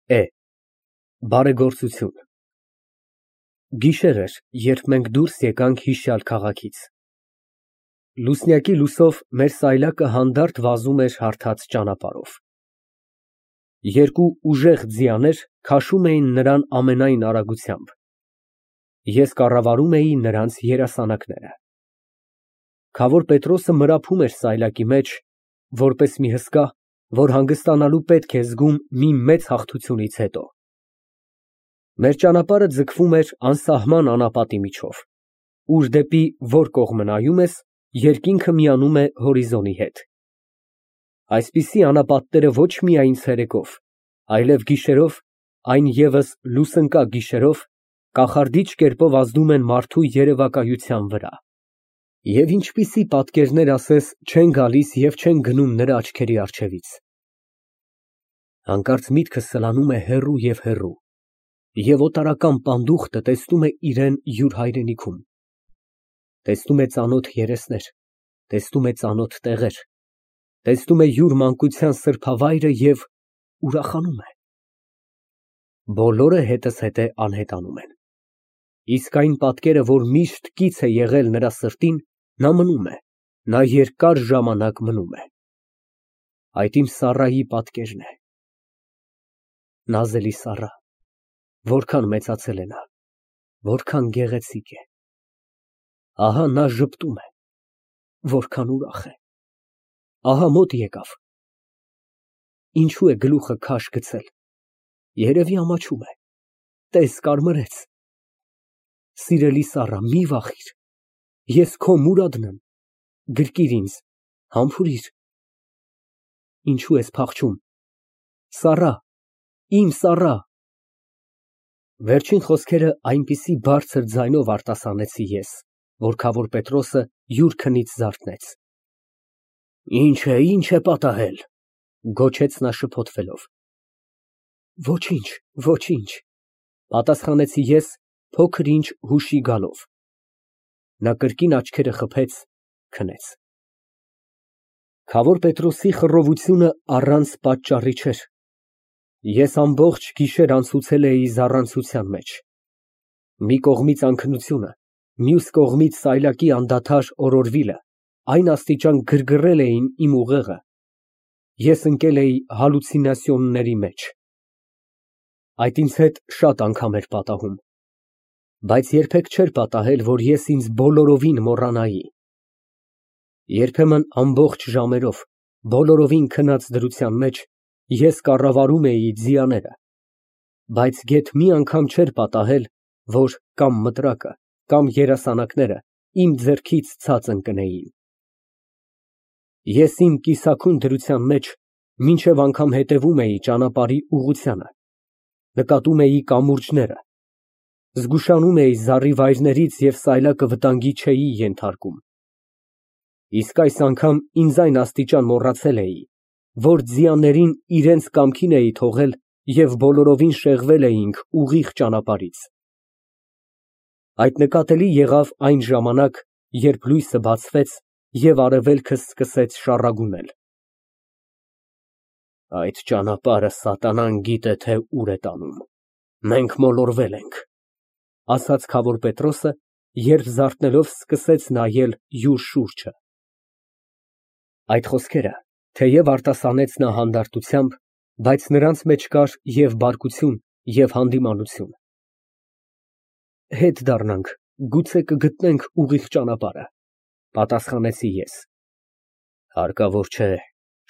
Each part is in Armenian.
Է. Բարեգործություն։ Գիշեր էր, երբ մենք դուրս եկանք հիշյալ քաղաքից։ Լուսնյակի լուսյով մեր սայլակը հանդարտ վազում էր հարթած ճանապարհով։ Երկու ուժեղ ձիաներ քաշում էին նրան ամենայն արագությամբ։ Ես կառավարում էի նրանց երասանակները։ Քավոր Պետրոսը մրափում էր սայլակի մեջ, որպես մի հսկա, որ հանգստանալու պետք է զգում մի մեծ հաղթությունից հետո։ Մեր ճանապարհը ձգվում էր անսահման անապատի միջով, ուր դեպի որ կողմը նայում ես, երկինքը միանում է հորիզոնի հետ։ Այսպիսի անապատները ոչ միայն ցերեկով, այլև գիշերով, այն ևս լուսընկա գիշերով, կախարդիչ կերպով ազդում են մարդու երևակայության վրա։ Եվ ինչպիսի պատկերներ ասես չեն գալիս և չեն գնում նրա աչքերի առջևից։ Հանկարծ միտքս սլանում է հեռու և հեռու, և օտարական պանդուխտը տեսնում է իրեն յուր հայրենիքում։ Տեսնում է ծանոթ երեսներ, տեսնում է ծանոթ տեղեր, տեսնում է յուր մանկության սրբավայրը և ուրախանում է։ Բոլորը հետզհետե անհետանում են։ Իսկ այն պատկերը, որ միշտ կից է եղել նրա սրտին, նա մնում է, նա երկար ժամանակ մնում է։ Այդ իմ Սառայի պատկերն է։ Նազելի Սառա, որքան մեծացել է նա, որքան գեղեցիկ է։ Ահա նա ժպտում է, որքան ուրախ է։ Ահա մոտ եկավ։ Ինչու է գլուխը քաշ գցել։ Երևի ամաչում է։ Տես, կարմրեց։ Սիրելի Սառա, մի վախիր, ես քո Մուրադն եմ, գրկիր ինձ, համբուրիր։ Ինչու ես փախչում։ Սառա, իմ Սառա։ Վերջին խոսքերը այնպիսի բարձր ձայնով արտասանեցի ես, որ քավոր Պետրոսը յուր քնից զարթնեց։ Ինչ է պատահել, գոչեց նա շփոթվելով։ Ոչինչ, ոչինչ, պատասխանեցի ես փոքր ինչ հուշի գալով։ Նա կրկին աչքերը խփեց, քնեց։ Քավոր Պետրոսի խռովությունը առանց պատճառի չէր։ Ես ամբողջ գիշեր անցուցել էի զառանցության մեջ։ Մի կողմից անքնությունը, մյուս կողմից սայլակի անդադար օրորվիլը այն աստիճան գրգռել էին իմ ուղեղը, ես ընկել էի հալյուցինացիաների մեջ։ Այդ ինձ հետ շատ անգամ էր պատահում, բայց երբեք չէր պատահել, որ ես ինձ բոլորովին մոռանայի։ Երբեմն ամբողջ ժամերով, բոլորովին քնած դրության մեջ ես կառավարում էի ձիաները, բայց գեթ մի անգամ չէր պատահել, որ կամ մտրակը, կամ երասանակները իմ ձեռքից ցած ընկնեին։ Ես իմ կիսաքուն դրության մեջ մինչև անգամ հետևում էի ճանապարհի ուղղությանը, նկատում էի կամուրջները, զգուշանում էի զառիվայրներից և սայլակը վտանգի չէի ենթարկում։ Իսկ այս անգամ ինձ այն աստիճան մոռացել էի, որ ձիաներին իրենց կամքին էի թողել և բոլորովին շեղվել էինք ուղիղ ճանապարհից։ Այդ նկատելի եղավ այն ժամանակ, երբ լույսը բացվեց և արևելքը սկսեց շառագունել։ Այդ ճանապարհը սատանան գիտե թե ուր է տանում, մենք մոլորվել ենք, ասաց քավոր Պետրոսը, երբ զարթնելով սկսեց նայել յուր շուրջը։ Այդ խոսքերը թեև արտասանեց նա հանդարտությամբ, բայց նրանց մեջ կար և բարկություն, և հանդիմանություն։ Հետ դառնանք, գուցե կգտնենք ուղիղ ճանապարհը, պատասխանեցի ես։ Հարկավոր չէ,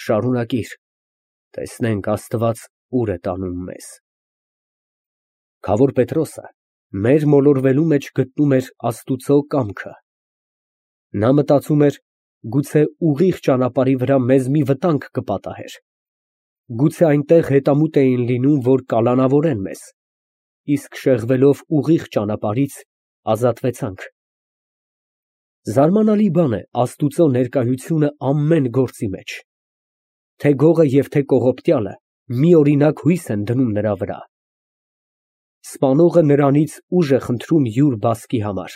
շարունակիր, տեսնենք Աստված ուր է տանում մեզ։ Քավոր Պետրոսը մեր մոլորվելու մեջ գտնում էր Աստուծո կամքը։ Նա մտածում էր, գուցե ուղիղ ճանապարհի վրա մեզ մի վտանգ կպատահեր։ Գուցե այնտեղ հետամուտ էին լինում, որ կալանավորեն մեզ, իսկ շեղվելով ուղիղ ճանապարհից ազատվեցանք։ Զարմանալի բան է Աստուծո ներկայությունը ամեն գործի մեջ։ Թե գողը և թե կողոպտյալը միօրինակ հույս են դնում նրա վրա։ Սպանողը նրանից ուժ է խնդրում յուր բասկի համար,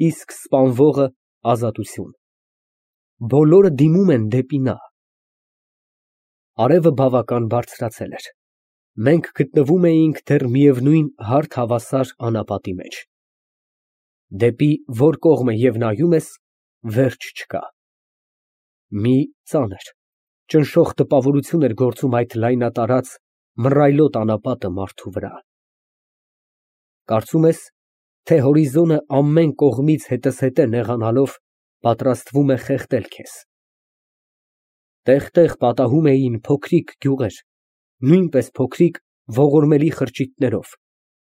իսկ սպանվողը ազատություն։ Բոլորը դիմում են դեպի նա։ Արևը բավական բարձրացել էր։ Մենք գտնվում էինք դեռ միևնույն հարթ հավասար անապատի մեջ։ Դեպի որ կողմը և նայում ես, վերջ չկա։ Մի ծանր, ճնշող տպավորություն էր գործում այդ լայնատարած, մռայլոտ անապատը մարդու վրա։ Կարծում ես, թե հորիզոնը ամեն կողմից հետզհետե նեղանալով պատրաստվում է խեղդել քեզ։ Տեղ֊տեղ պատահում էին փոքրիկ գյուղեր, նույնպես փոքրիկ ողորմելի խրճիթներով,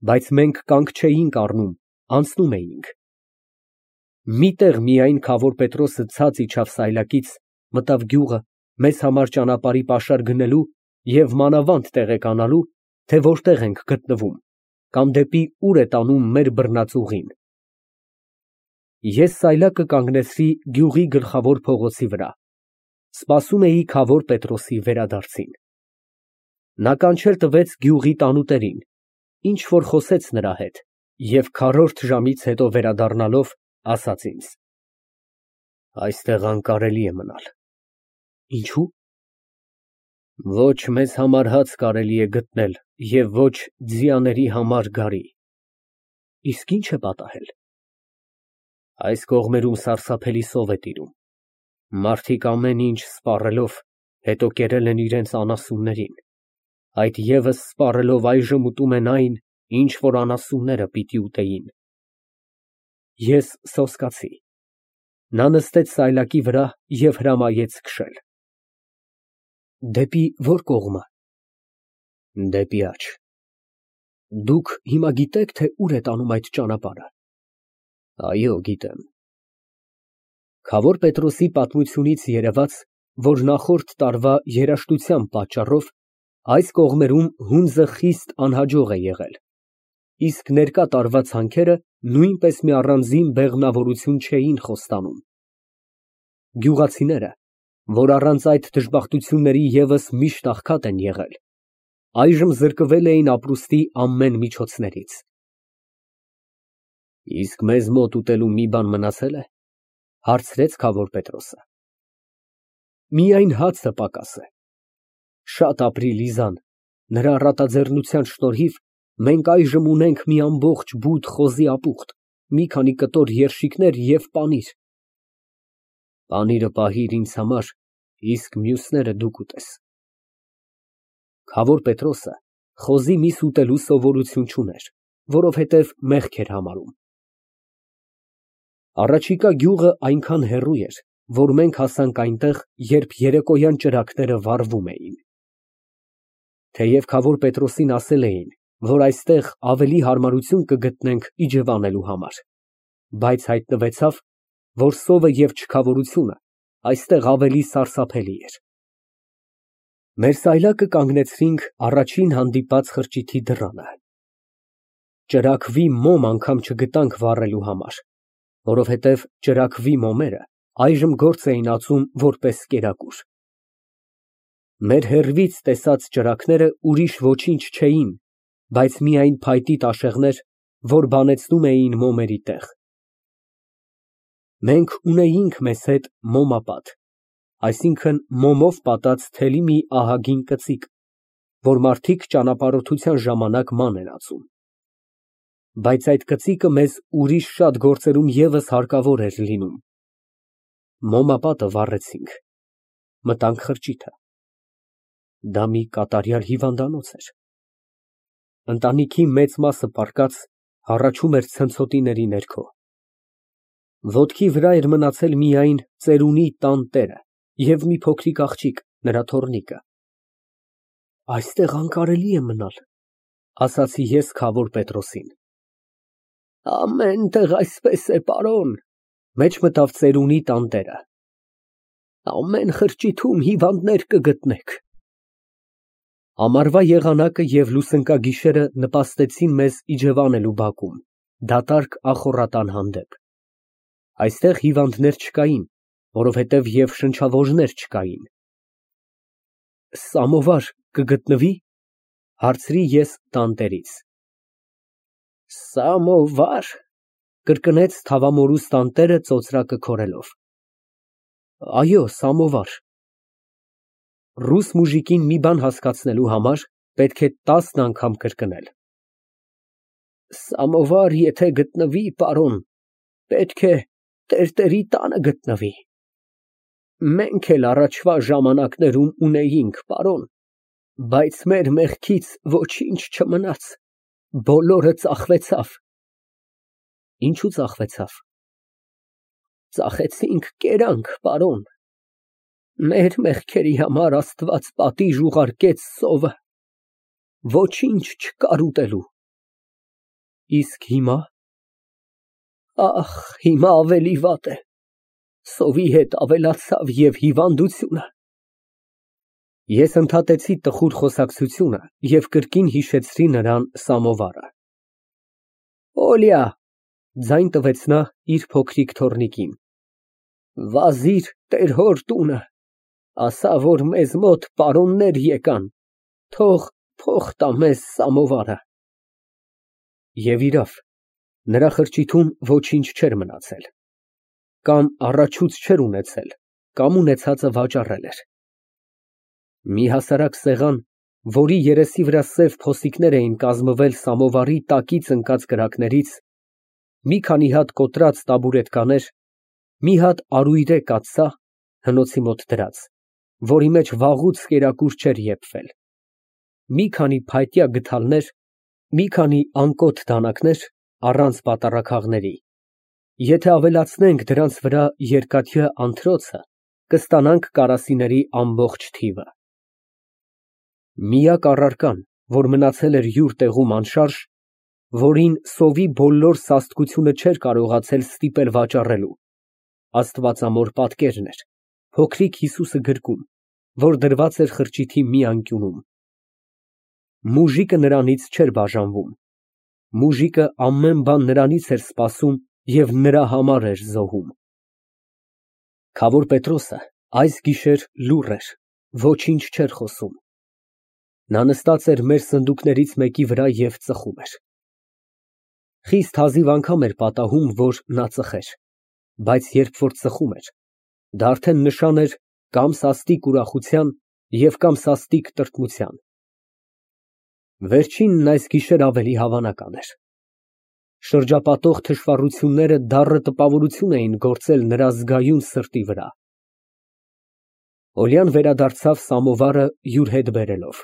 բայց մենք կանգ չէինք առնում, անցնում էինք։ Մի տեղ միայն Քավոր Պետրոսը ցած իջավ սայլակից, մտավ գյուղը, մեզ համար ճանապարհի պաշար գնելու և մանավանդ տեղեկանալու, թե որտեղ ենք գտնվում, կամ դեպի ուր է տանում մեր բռնած ուղին։ Ես սայլակը կանգնեցրի գյուղի գլխավոր փողոցի վրա, սպասում էի Քավոր Պետրոսի վերադարձին։ Նա կանչել տվեց գյուղի տանուտերին, ինչ որ խոսեց նրա հետ և քառորդ ժամից հետո վերադառնալով, ասաց ինձ. Այստեղ անկարելի է մնալ։ Ինչո՞ւ։ Ոչ մեզ համար հաց կարելի է գտնել և ոչ ձիաների համար գարի։ Իսկ ի՞նչ է պատահել։ Այս կողմերում սարսափելի սով է տիրում։ Մարդիկ ամեն ինչ սպառելով, հետո կերել են իրենց անասուններին, այդ ևս սպառելով այժմ ուտում են այն, ինչ որ անասունները պիտի ուտեին։ Ես սոսկացի։ Նա նստեց սայլակի վրա և հրամայեց քշել։ Դեպի որ կողմը։ Դեպի աջ։ Դուք հիմա գիտեք, թե ուր է տանում այդ ճանապարհը։ Այո, գիտեմ։ Քավոր Պետրոսի պատմությունից երևաց, որ նախորդ տարվա երաժշտության պատճառով այս կողմերում հունձը խիստ անհաջող է եղել, իսկ ներկա տարվա ցանքերը նույնպես մի առանձին բեղմնավորություն չէին խոստանում։ Գյուղացիները, որ առանց այդ դժբախտությունների ևս միշտ աղքատ են եղել, այժմ զրկվել էին ապրուստի ամեն միջոցներից։ Իսկ մեզ մոտ ուտելու մի բան մնացե՞լ է, հարցրեց Քավոր Պետրոսը։ Միայն հացը պակաս է։ Շատ ապրի Լիզան, նրա առատաձեռնության շնորհիվ մենք այժմ ունենք մի ամբողջ բութ խոզի ապուխտ, մի քանի կտոր երշիկներ և պանիր։ Պանիրը պահիր ինձ համար, իսկ մյուսները դու կուտես։ Քավոր Պետրոսը խոզի միս ուտելու սովորություն չուներ, որովհետև մեղք էր համարում։ Առաջիկա գյուղը այնքան հեռու էր, որ մենք հասանք այնտեղ, երբ երեկոյան ճրագները վառվում էին։ Թեև Քավոր Պետրոսին ասել էին, որ այստեղ ավելի հարմարություն կգտնենք իջևանելու համար, բայց հայտնվեցավ, որ սովը և չքավորությունը այստեղ ավելի սարսափելի էր։ Մեր սայլակը կանգնեցրինք առաջին հանդիպած խրճիթի դռանը։ Ճրագվի մոմ անգամ չգտանք վառելու համար, որովհետև ճրագվի մոմերը այժմ գործ էին ածում որպես կերակուր։ Մեր հեռվից տեսած ճրագները ուրիշ ոչինչ չէին, բայց միայն փայտի տաշեղներ, որ բանեցնում էին մոմերի տեղ։ Մենք ունեինք մեզ հետ մոմապատ, այսինքն մոմով պատած թելի մի ահագին կծիկ, որ մարդիկ ճանապարհորդության ժամանակ ման են ածում։ Բայց այդ կծիկը մեզ ուրիշ շատ գործերում ևս հարկավոր էր լինում։ Մոմապատը վառեցինք, մտանք խրճիթը։ Դա մի կատարյալ հիվանդանոց էր։ Ընտանիքի մեծ մասը պառկած հառաչում էր ցնցոտիների ներքո։ Ոտքի վրա էր մնացել միայն ծերունի տան տերը և մի փոքրիկ աղջիկ, նրա թոռնիկը։ Այստեղ անկարելի է մնալ, ասացի ես Քավոր Պետրոսին։ Ամեն տեղ այսպես է, պարոն, մեջ մտավ ծերունի տանտերը։ Ամեն խրճիթում հիվանդներ կգտնեք։ Ամառվա եղանակը և լուսնկագիշերը նպաստեցին մեզ իջևանելու բակում, դատարկ ախոռատան հանդեպ։ Այստեղ հիվանդներ չկային, որովհետև և շնչավորներ չկային։ Սամովար կգտնվի՞, հարցրի ես տանտերից։ Սամովա՞ր, կրկնեց թավամորուս տանտերը ծոծրակը քորելով։ Այո, սամովար։ Ռուս մուժիկին մի բան հասկացնելու համար Պետք է 10 անգամ կրկնել։ Սամովար եթե գտնվի, պարոն, պետք է տերտերի տանը գտնվի։ Մենք էլ առաջվա ժամանակներում ունեինք, պարոն, բայց մեր մեղքից ոչինչ չմնաց, բոլորը ծախվեցավ։ Ինչու ծախվեցավ։ Ծախեցինք կերանք, պարոն։ Մեր մեղքերի համար Աստված պատիժ ուղարկեց սովը, ոչինչ չկար ուտելու։ Իսկ հիմա։ Ահ, հիմա ավելի վատ է, սովի հետ ավելացավ և հիվանդությունը։ Ես ընդհատեցի տխուր խոսակցությունը և կրկին հիշեցրի նրան սամովարը։ Օլյա, ձայն տվեց նա իր փոքրիկ թոռնիկին, վազիր տեր հոր տունը, ասա, որ մեզ մոտ պարոններ եկան, թող փող տա մեզ սամովարը։ Եվ իրավ, նրա խրճիթում ոչինչ չէր մնացել, կամ առաջուց չէր ունեցել, կամ ունեցածը վաճառել էր։ Մի հասարակ սեղան, որի երեսի վրա սև փոսիկներ էին կազմվել սամովարի տակից ընկած կրակներից, մի քանի հատ կոտրած տաբուրետկաներ, մի հատ արույրե կաթսա, հնոցի մոտ դրած, որի մեջ վաղուց կերակուր չէր եփվել, մի քանի փայտյա գդալներ, մի քանի անկոթ դանակներ առանց պատառաքաղների, եթե ավելացնենք դրանց վրա երկաթյա անթրոցը, կստանանք կարասիների ամբողջ թիվը։ Միակ առարկան, որ մնացել էր յուր տեղում անշարժ, որին սովի բոլոր սաստկությունը չէր կարողացել ստիպել վաճառելու, աստվածամոր պատկերն էր, փոքրիկ Հիսուսը գրկում, որ դրված էր խրճիթի մի անկյունում։ Մուժիկը նրանից չէր բաժանվում, մուժիկը ամեն բան նրանից էր սպասում և նրա համար էր զոհում։ Քավոր Պետրոսը այս գիշեր լուռ էր, ոչինչ չէր խոսում։ Նա նստած էր մեր սնդուկներից մեկի վրա և ծխում էր։ Խիստ հազիվ անգամ էր պատահում, որ նա ծխեր, բայց երբ որ ծխում էր, դա արդեն նշան էր կամ սաստիկ ուրախության և կամ սաստիկ տրտմության։ Վերջինն այս գիշեր ավելի հավանական էր։ Շրջապատող թշվառությունները դառը տպավորություն էին գործել նրա զգայուն սրտի վրա։ Օլյան վերադարձավ սամովարը յուր հետ բերելով,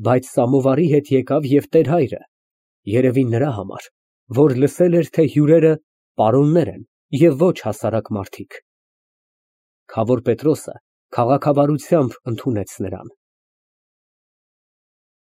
բայց սամովարի հետ եկավ և տեր֊հայրը, երևի նրա համար, որ լսել էր, թե հյուրերը պարոններ են և ոչ հասարակ մարդիկ։ Քավոր Պետրոսը քաղաքավարությամբ ընդունեց նրան։